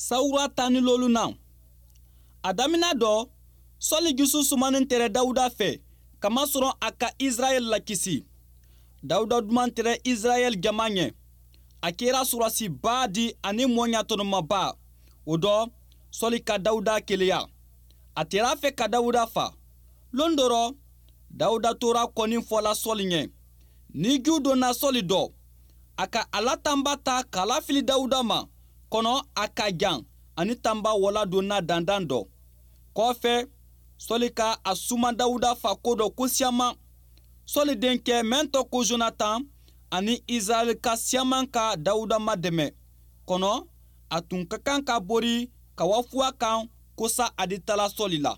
Sawura 15nan. A damina dɔ, Sɔli jusu sumanin tɛrɛ Dawuda fɛ, kamasɔrɔ a ka Israɛl lakisi. Dawuda duman tɛrɛ Israɛl jama ɲɛ. A kɛra surasiba di ani mɔɔ tɔnɔmaba. O dɔ, Sɔli ka Dawuda keleya. A tɛr'a fɛ ka Dawuda fa. Lon dɔ rɔ, Dawuda tora kɔni fɔla Sɔli ɲɛ. Ni ju donna Sɔli dɔ, a ka a la tanba ta k'a lafili Dawuda ma, kɔnɔ a ka jan ani tanba wala donna dandan dɔ. Kɔfɛ, Sɔli ka a suma Dawuda fa ko dɔ ko siyaman. Sɔli denkɛ mɛn tɔ ko Jonatan ani Israɛl ka siyaman ka Dawuda madɛmɛ. Kɔnɔ, a tun ka kan ka bori ka wa fuwa kan kosa a di tala Sɔli la.